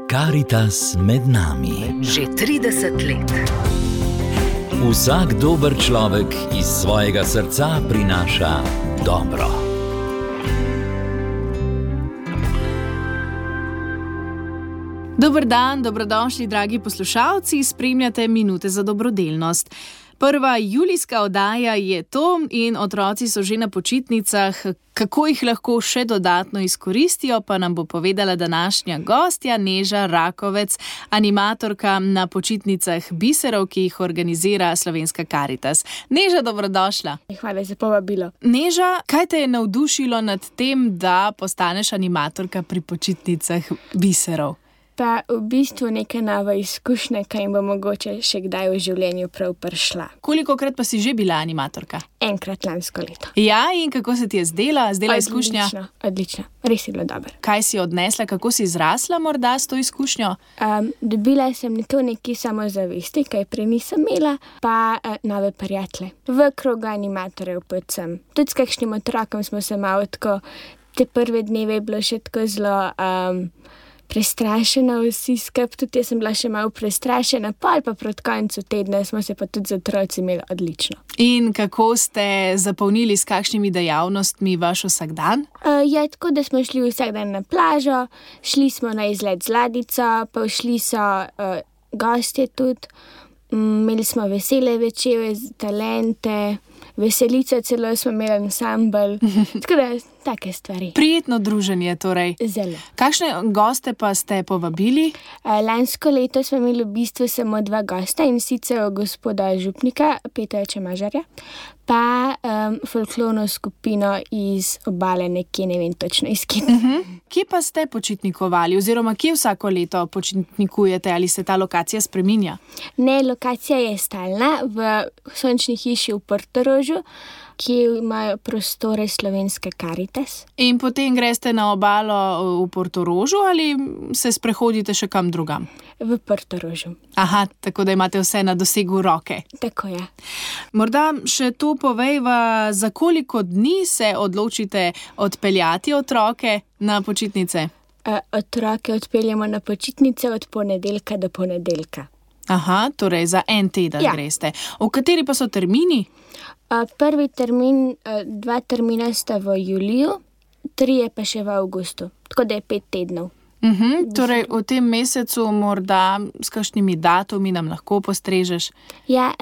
Karitas med nami. Že 30 let. Vsak dober človek iz svojega srca prinaša dobro. Dober dan, dobrodošli, dragi poslušalci, spremljate Minute za dobrodelnost. Prva julijska oddaja je to in otroci so že na počitnicah. Kako jih lahko še dodatno izkoristijo, pa nam bo povedala današnja gostja Neža Rakovec, animatorka na počitnicah biserov, ki jih organizira Slovenska Karitas. Neža, dobrodošla. Hvala za povabilo. Neža, kaj te je navdušilo nad tem, da postaneš animatorka pri počitnicah biserov? Pa v bistvu neka nova izkušnja, kaj jim bo mogoče še kdaj v življenju prav prišla. Kolikokrat pa si že bila animatorka? Enkrat lansko leto. Ja, in kako se ti je zdela izkušnja? Odlično. Res je bilo dobro. Kaj si odnesla, kako si zrasla morda s to izkušnjo? Dobila sem to neki samozavesti, kaj prej nisem imela, pa nove prijatelje. V krogu animatorjev predvsem. Tudi s kakšnim otrokom smo se malo tako, te prve dneve je bilo še tako zelo prestrašena vsi skupaj, tudi jaz sem bila še malo prestrašena, pa proti koncu tedna smo se pa tudi z otroci imeli odlično. In kako ste zapolnili s kakšnimi dejavnostmi vaš vsakdan? Tako da smo šli vsak dan na plažo, šli smo na izlet z ladjico, pa šli so gostje tudi, imeli smo vesele večere, talente, veselico celo smo imeli ansambl, tako da take stvari. Prijetno druženje torej. Zelo. Kakšne goste pa ste povabili? Lansko leto smo imeli v bistvu samo 2 gosta, in sicer gospoda župnika Petra Čemažarja, pa folklorno skupino iz Obale, nekje ne vem točno iz kje. Kje pa ste počitnikovali oziroma kje vsako leto počitnikujete, ali se ta lokacija spreminja? Ne, lokacija je stalna v Sončni hiši v Portorožu, ki imajo prostore Slovenske Karitas. In potem greste na obalo v Portorožu ali se sprehodite še kam drugam? V Portorožu. Aha, tako da imate vse na dosegu roke. Tako je. Morda še to povejva, za koliko dni se odločite odpeljati otroke na počitnice? Otroke odpeljemo na počitnice od ponedeljka do ponedeljka. Aha, torej za en teden greste. V kateri pa so termini? Prvi termin, 2 termina sta v juliju, 3 pa še v avgustu, tako da je 5 tednov. Torej v tem mesecu morda s kakšnimi datumi nam lahko postrežeš? Ja,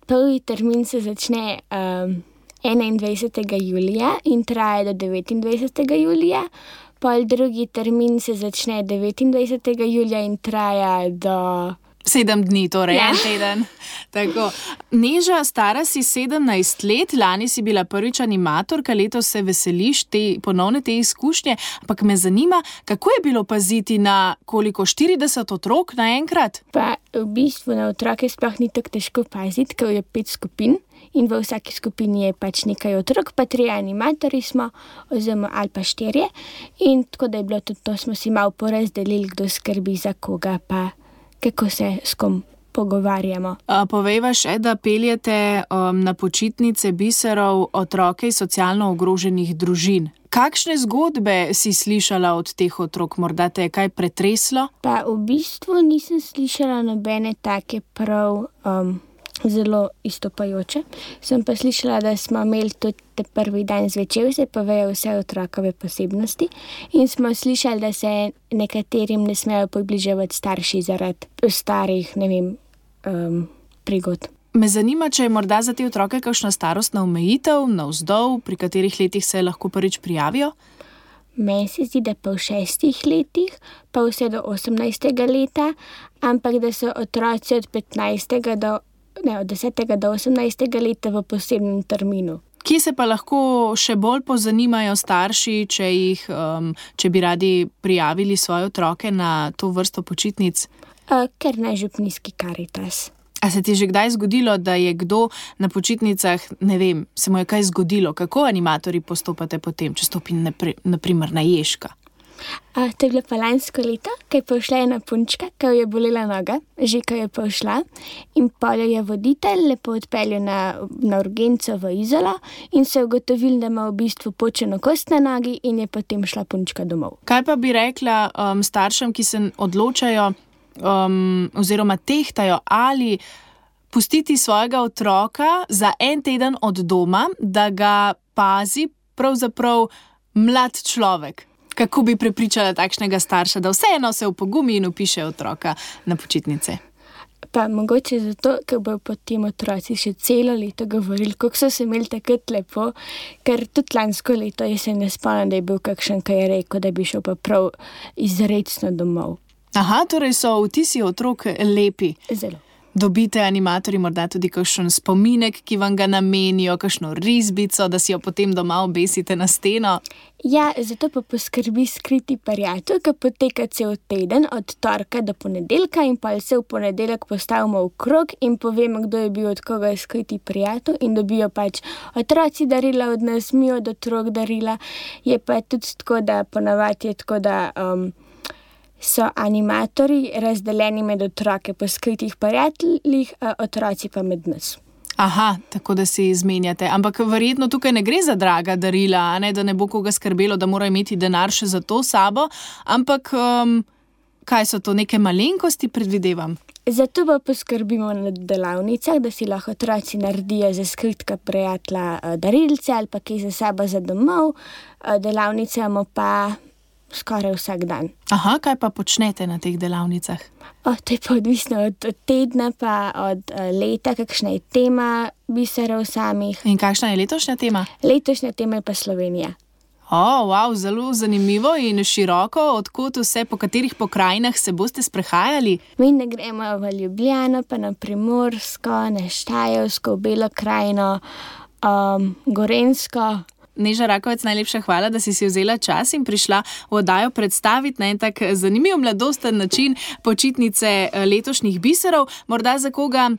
prvi termin se začne 21. julija in traja do 29. julija, pol drugi termin se začne 29. julija in traja do 7 dni, torej en teden. Tako. Neža, stara si 17 let, lani si bila prvič animatorka, letos se veseliš ponovne te izkušnje, ampak me zanima, kako je bilo paziti na koliko, 40 otrok naenkrat? Pa v bistvu na otroke sploh ni tako težko paziti, ker je 5 skupin in v vsaki skupini je pač nekaj otrok, pa 3 animatorji smo, oziroma ali pa 4. In tako da je bilo tudi to, smo si malo porazdelili, kdo skrbi za koga, pa kako se s kom pogovarjamo. Povejva še, da peljete na počitnice biserov otroke iz socialno ogroženih družin. Kakšne zgodbe si slišala od teh otrok? Morda te je kaj pretreslo? Pa v bistvu nisem slišala nobene take prav zelo izstopajoče. Sem pa slišala, da smo imeli tudi prvi dan zvečer, se povejo vse otrokove posebnosti, in smo slišali, da se nekaterim ne smejo približevati starši zaradi starih, ne vem, prigod. Me zanima, če je morda za te otroke kakšna starostna omejitev, navzdol, pri katerih letih se lahko prvič prijavijo? Meni se zdi, da pa v 6 letih, pa vse do 18. leta, ampak da so otroci od 10. do 18. leta v posebnem terminu. Kje se pa lahko še bolj pozanimajo starši, če bi radi prijavili svoje otroke na to vrsto počitnic? Ker na Župnijski Karitas. A se ti je že kdaj zgodilo, da je kdo na počitnicah, ne vem, se mu je kaj zgodilo? Kako animatorji postopate potem, če stopi na primer na Ježka? To je bilo pa lansko leto, ko je prišla ena punčka, ko je bolela noga, že ko je prišla, in pol jo je voditelj lepo odpeljal na urgenco v Izolo in se ugotovil, da ima v bistvu počeno kost na nogi in je potem šla punčka domov. Kaj pa bi rekla staršem, ki se odločajo oziroma tehtajo, ali pustiti svojega otroka za en teden od doma, da ga pazi pravzaprav mlad človek? Kako bi prepričala takšnega starša, da vseeno se upogumi in upiše otroka na počitnice? Pa mogoče zato, ker bojo potem otroci še celo leto govorili, kako so se imeli takrat lepo, ker tudi lansko leto se ne spomnim, da je bil kakšen, ki je rekel, da bi šel pa prav izrecno domov. Aha, torej so vtisi otrok lepi. Zelo. Dobite animatorji morda tudi kakšen spominek, ki vam ga namenijo, kakšno risbico, da si jo potem doma obesite na steno? Ja, zato pa poskrbi skriti prijatelj, ki poteka cel teden od torka do ponedeljka in pa se v ponedeljek postavimo v krog in povemo, kdo je bil od koga skriti prijatelj in dobijo pač otroci darila od nas, mi od otrok darila. Je pa tudi tako, da ponavadi je tako, da so animatorji razdeljeni med otroke po skritih prijateljih, otroci pa med nas. Aha, tako da si izmenjate. Ampak verjetno tukaj ne gre za draga darila, da ne bo koga skrbelo, da mora imeti denar še za to sabo, ampak kaj so to, neke malenkosti, predvidevam? Zato pa poskrbimo na delavnicah, da si lahko otroci naredijo za skritka prijatelja darilce ali pa kaj za sabo za domov. Delavnice imamo pa skoraj vsak dan. Aha, kaj pa počnete na teh delavnicah? To je pa odvisno od tedna pa od leta, kakšna je tema biserov samih. In kakšna je letošnja tema? Letošnja tema je pa Slovenija. Wow, zelo zanimivo in široko. Odkot vse, po katerih pokrajinah se boste sprehajali? Mi ne gremo v Ljubljano, pa na Primorsko, na Štajersko, v Belo krajino, Gorenjsko. Neža Rakovec, najlepša hvala, da si vzela čas in prišla v oddajo predstaviti na en tak zanimiv mladosten način počitnice letošnjih biserov. Morda za koga,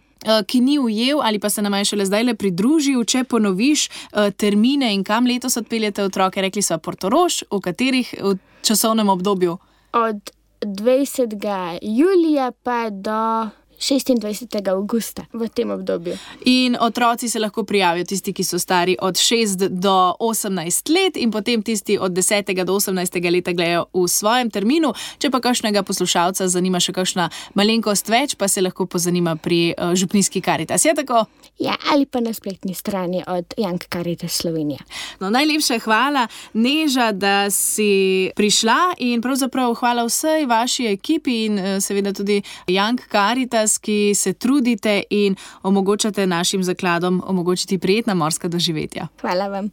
ki ni ujel ali pa se nam je šele zdaj pridružil, če ponoviš termine in kam letos odpeljete otroke. Rekli so Portorož, v katerih časovnem obdobju? Od 20. julija pa do 26. avgusta v tem obdobju. In otroci se lahko prijavijo, tisti, ki so stari od 6 do 18 let in potem tisti od 10. do 18. leta gledajo v svojem terminu. Če pa kakšnega poslušalca zanima še kakšna malenkost več, pa se lahko pozanima pri župnijski Karitas. Je tako? Ja, ali pa na spletni strani od Young Caritas Slovenija. No, najlepša hvala, Neža, da si prišla in pravzaprav hvala vsej vaši ekipi in seveda tudi Young Caritas, ki se trudite in omogočate našim zakladom omogočiti prijetna morska doživetja. Hvala vam.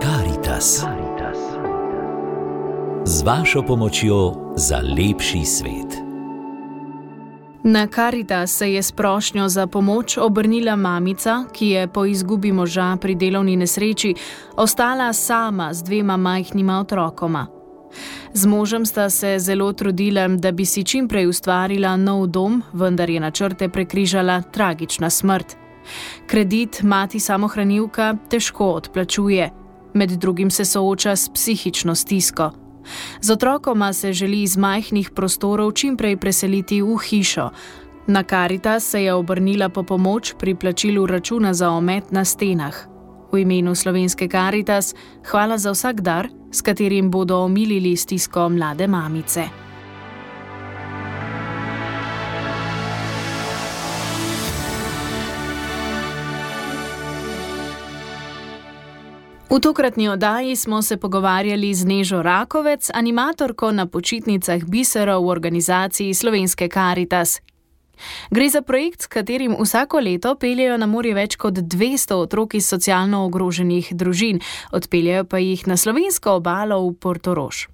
Karitas. Z vašo pomočjo za lepši svet. Na Karitas se je s prošnjo za pomoč obrnila mamica, ki je po izgubi moža pri delovni nesreči ostala sama z 2 majhnima otrokoma. Z možem sta se zelo trudila, da bi si čim prej ustvarila nov dom, vendar je načrte prekrižala tragična smrt. Kredit mati samohranilka težko odplačuje. Med drugim se sooča s psihično stisko. Z otrokoma se želi iz majhnih prostorov čim prej preseliti v hišo. Na Karitas se je obrnila po pomoč pri plačilu računa za omet na stenah. V imenu Slovenske Karitas hvala za vsak dar, s katerim bodo omilili stisko mlade mamice. V tokratni oddaji smo se pogovarjali z Nežo Rakovec, animatorko na počitnicah biserov v organizaciji Slovenske Karitas. Gre za projekt, s katerim vsako leto peljejo na morje več kot 200 otrok iz socialno ogroženih družin, odpeljejo pa jih na slovensko obalo v Portorož.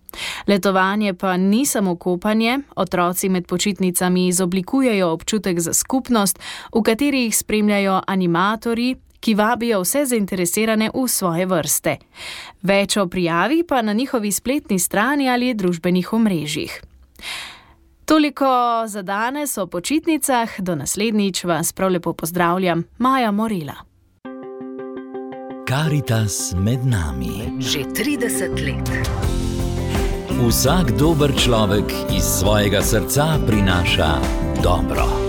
Letovanje pa ni samo kopanje, otroci med počitnicami izoblikujejo občutek za skupnost, v kateri jih spremljajo animatorji, ki vabijo vse zainteresirane v svoje vrste. Več o prijavi pa na njihovi spletni strani ali družbenih omrežjih. Toliko za danes o počitnicah, do naslednjič vas prav lepo pozdravljam, Maja Morela. Karitas med nami. Že 30 let. Vsak dober človek iz svojega srca prinaša dobro.